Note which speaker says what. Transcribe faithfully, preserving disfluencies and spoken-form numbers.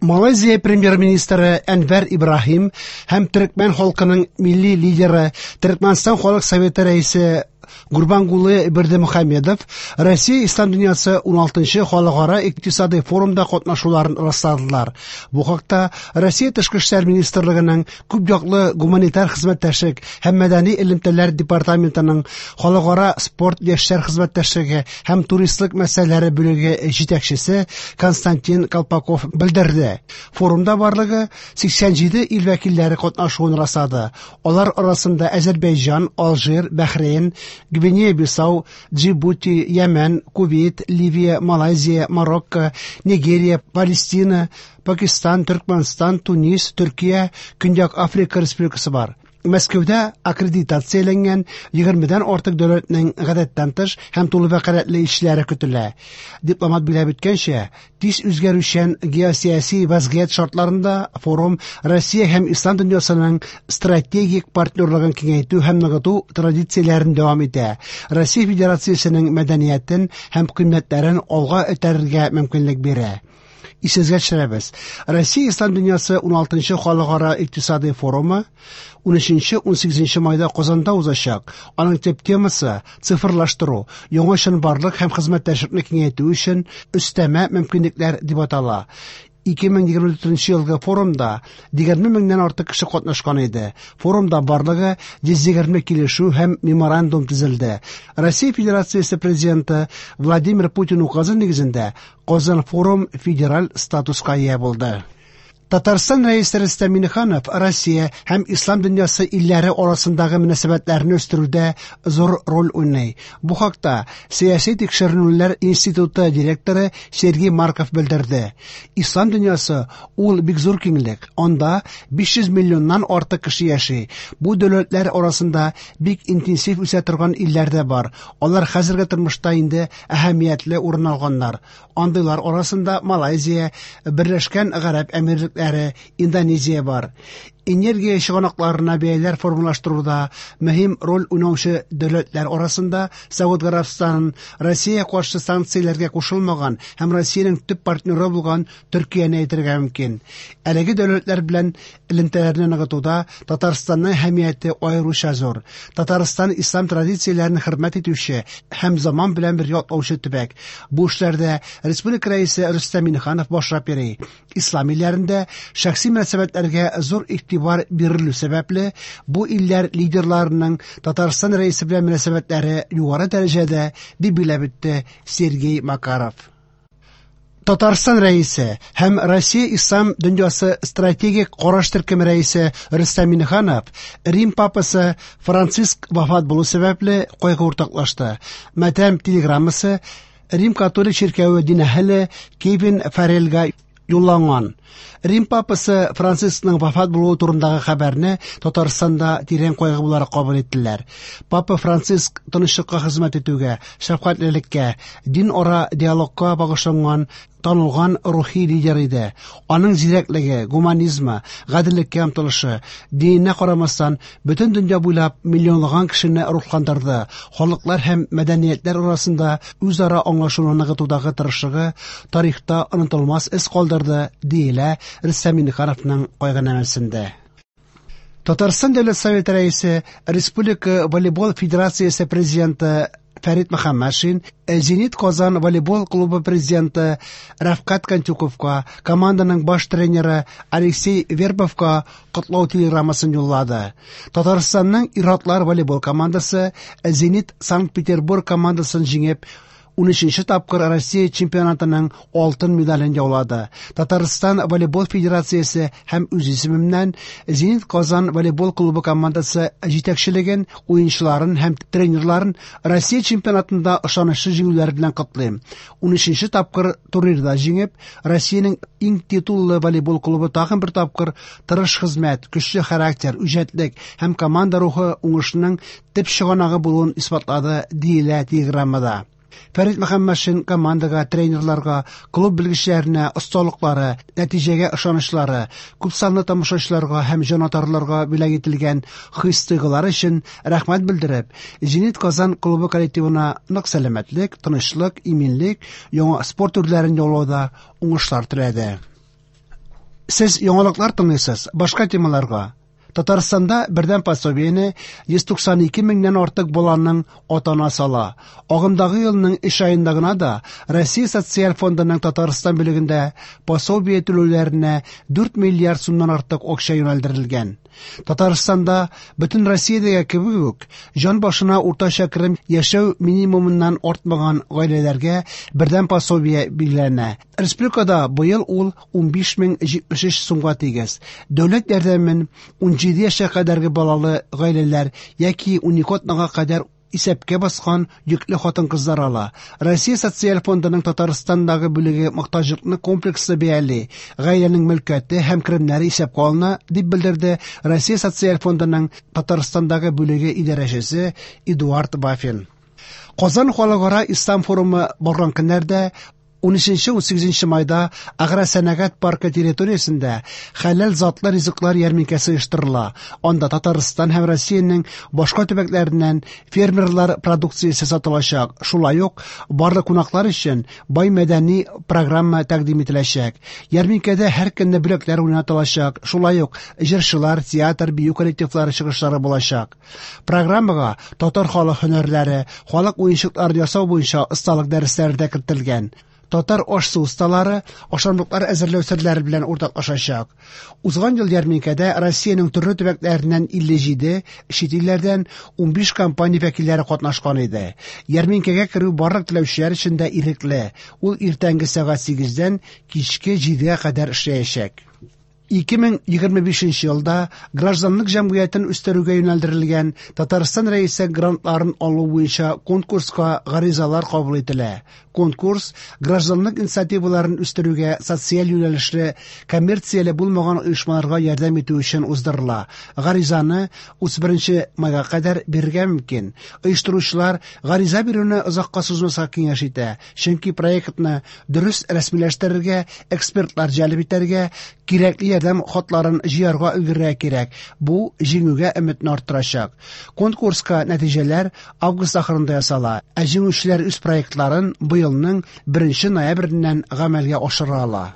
Speaker 1: Малайзия премьер-министры Әнвәр Ибраһим һәм төркмән халкының милли лидеры, Төркмәнстан халык советы рәисе Гурбангулы Бердымөхәммедов Россия Ислам дөньясы уналтынчы халыкара икътисади форумда катнашуларын расладылар. Бу хакта Россия Тышкы эшләр министрлыгының күп яклы гуманитар хезмәттәшлек һәм мәдәни элемтәләр департаментының халыкара спорт, яшьләр хезмәттәшлеге һәм туристлык мәсьәләләре бүлеге җитәкчесе Константин Колпаков белдерде. Форумда барлыгы сиксән җиде ил вәкилләре катнашуын раслады. Алар арасында Азәрбайҗан, Алжир, Бәхрейн, Гвинея-Бисау, Джибути, Йәмән, Кувейт, Ливия, Малайзия, Марокко, Нигерия, Палестина, Пакистан, Төркмәнстан, Тунис, Төркия, Көньяк Африка Республикасы бар. Мәскәүдә аккредитацияләнгән егермедән артык дәүләтнең гадәттән тыш һәм тулы вәкаләтле илчеләре көтелә. Дипломат билгеләп үткәнчә, тиз үзгәрүчән геосияси вазгыять шартларында форум Россия һәм Ислам дөньясының стратегик партнерлыгын киңәйтү һәм ныгыту традицияләрен дәвам итә. Россия Федерациясенең мәдәниятен һәм кыйммәтләрен алга этәрергә мөмкинлек бирә. Исегезгә төшерәбез. Россия Ислам дөньясы уналтынчы халыкара икътисади форумы унөченче унсигезенче майда Казанда узачак. Аның төп темасы цифрлаштыру, яңа чынбарлык һәм хезмәттәшлекне киңәйтү өчен өстәмә мөмкинлекләр дип атала. Ике мең егерме дүртенче елгы форумда егерме меңнән артык кеше катнашкан иде. Форумда барлыгы йөз егерме килешү һәм меморандум төзелде. Россия Федерациясе президенты Владимир Путин указы нигезендә Казан форум федераль статуска ия булды. Татарстан рәисе Рөстәм Миңнеханов Россия һәм Ислам дөньясы илләре арасындагы мөнәсәбәтләрне үстерүдә зур роль уйный. Бу хакта Сәяси тикшеренүләр институты директоры Сергей Марков белдерде. Ислам дөньясы ул бик зур киңлек. Анда биш йөз миллионнан артык кеше яши. Бу дәүләтләр арасында бик интенсив үсә торган илләр дә бар. Алар хәзерге тормышта инде әһәмиятле урын алганнар. Андыйлар арасында Малайзия, Берләшкән Гарәп Әмирлекләре, Индонезия бар. Энергия чыганакларына бәяләр формалаштыруда мөһим роль уйнаучы дәүләтләр арасында Сауд Гарәбстанын, Россия каршы санкцияләргә кушылмаган һәм Россиянең төп партнеры булган Төркияне әйтергә мөмкин. Әлеге дәүләтләр белән элемтәләрне ныгытуда Татарстанның әһәмияте аеруча зур. Татарстан ислам традицияләрен хөрмәт итүче һәм заман белән бергә атлаучы төбәк. Бу эшләрдә республика рәисе Рөстәм Миңнеханов башлап йөри. Ислам илләрендә шәхси мөнәсәбәтләргә зур игътибар бирелү сәбәпле, бу илләр лидерларының Татарстан рәисе белән мөнәсәбәтләре югары дәрәҗәдә, дип билгеләп үтте Сергей Макаров. Татарстан рәисе һәм Россия Ислам дөньясы стратегик караш төркеме рәисе Рөстәм Миңнеханов Рим папасы Франциск вафат булу сәбәпле кайгы уртаклашты. Матәм телеграммасы Рим католик чиркәве дин әһеле Кевин Фарреллга юлланган. Рим папасы Францискның вафат булуы турындагы хәбәрне Татарстанда тирән кайгы буларак кабул иттеләр. Папа Франциск тынычлыкка хезмәт итүгә, шәфкатьлелеккә, дин ара диалогка багышланган танылган рухи лидер иде. Аның зирәклеге, гуманизмы, гаделлеккә омтылышы, диненә карамастан, бөтен дөнья буйлап миллионлаган кешене рухландырды. Халыклар һәм мәдәниятләр арасында үзара аңлашуны ныгытудагы тырышлыгы тарихта онытылмас эз калдырды, диелә Рөстәм Миңнехановның кайгынамәсендә. Татарстан Дәүләт Советы рәисе, Республика волейбол федерациясе президенты Фәрит Мөхәммәтшин, Зенит Казан волейбол клубы президенты Рәфкать Кантюковка, команданың баш тренеры Алексей Вербовка котлау телеграммасын юллады. Татарстанның ир-атлар волейбол командасы Зенит Санкт-Петербург командасын җиңеп, унөченче тапкыр Россия чемпионатының алтын медален яулады. Татарстан волейбол федерациясе һәм үз исемемнән Зенит Казан волейбол клубы командасы җитәкчелеген, уенчыларын һәм тренерларын Россия чемпионатында ышанычлы җиңүләр белән котлыйм. Унөченче тапкыр турнирда җиңеп, Россиянең иң титуллы волейбол клубы тагын бер тапкыр тырыш хезмәт, көчле характер, үҗәтлек һәм команда рухы уңышының төп чыганагы булуын исбатлады, диелә телеграммада. Фәрит Мөхәммәтшин командага, тренерларга, клуб белгечләренә осталыклары, нәтиҗәгә ышанычлары, күпсанлы тамашачыларга һәм җанатарларга бүләк ителгән хис-тойгылары өчен рәхмәт белдереп, Зенит Казан клубы коллективына нык сәламәтлек, тынычлык, иминлек, яңа спорт төрләрен яулауда уңышлар теләде. Сез яңалыклар тыңлыйсыз, башка темаларга. Татарстанда бердәм пособиене йөз туксан ике меңнән артык баланың ата-анасы ала. Агымдагы елның өч аенда гына да Россия Социаль фондының Татарстан бүлегендә пособие түләүләренә дүрт миллиард сумнан артык акча юнәлдерелгән. Татарстанда бөтен Россиядәге кебек үк җан башына уртача керем яшәү минимумыннан артмаган гаиләләргә бердәм пособие билгеләнә. Республикада быел ул унбиш мең җитмеш өч сумга тигез. Дәүләт ярдәмен ун җиде яшькә кадәрге балалы гаиләләр яки ун ике атнага кадәр исәпкә баскан йөкле хатын-кызлар ала. Россия Социаль фондының Татарстандагы бүлеге мохтаҗлыкны комплекслы бәяли, гаиләнең мөлкәте һәм керемнәре исәпкә алына, дип белдерде Россия Социаль фондының Татарстандагы бүлеге идарәчесе Эдуард Вафин. Казан халыкара ислам форумы барган көннәрдә ун өченче ун сигезенче майда Агросәнәгать паркы территориясендә хәләл затлы ризыклар ярминкәсе оештырыла. Анда Татарстан һәм Россиянең башка төбәкләреннән фермерлар продукциясе сатылачак. Шулай ук барлык кунаклар өчен бай мәдәни программа тәкъдим ителәчәк. Ярминкәдә һәр көнне бүләкләр уйнатылачак. Шулай ук җырчылар, театр, бию коллективлары чыгышлары булачак. Программага татар халык һөнәрләре, халык уенчыклары ясау буенча осталык дәресләре дә кертелгән. Татар аш-су осталары ашамлыклар әзерләү серләре белән уртаклашачак. Узган ел ярминкәдә Россиянең төрле төбәкләреннән илле җиде, чит илләрдән унбиш компания вәкилләре катнашкан иде. Ярминкәгә керү барлык теләүчеләр өчен дә ирекле. Ул иртәнге сәгать сигездән кичке җидегә кадәр эшләячәк. Ике мең егерме бишенче елда гражданлык җәмгыятен үстерүгә юнәлдерелгән Татарстан Рәисе грантларын алу буенча конкурска гаризалар кабул ителә. Конкурс гражданлык инициативаларын үстерүгә социаль юнәлешле коммерцияле булмаган оешмаларга ярдәм итү өчен уздырыла. Гаризаны утыз беренче майга кадәр бирергә мөмкин. Оештыручылар гариза бирүне озакка сузмаска киңәш итә, чөнки проектны дөрес рәсмиләштерергә, экспертлар җәлеп итәргә, кирәкле ярдәм хатларын җыярга өлгерергә кирәк. Бу җиңүгә өметне арттырачак. Конкурска нәтиҗәләр август ахырында ясала. Ә җиңүчеләр үз проектларын быелның беренче ноябреннән гамәлгә ашыра ала.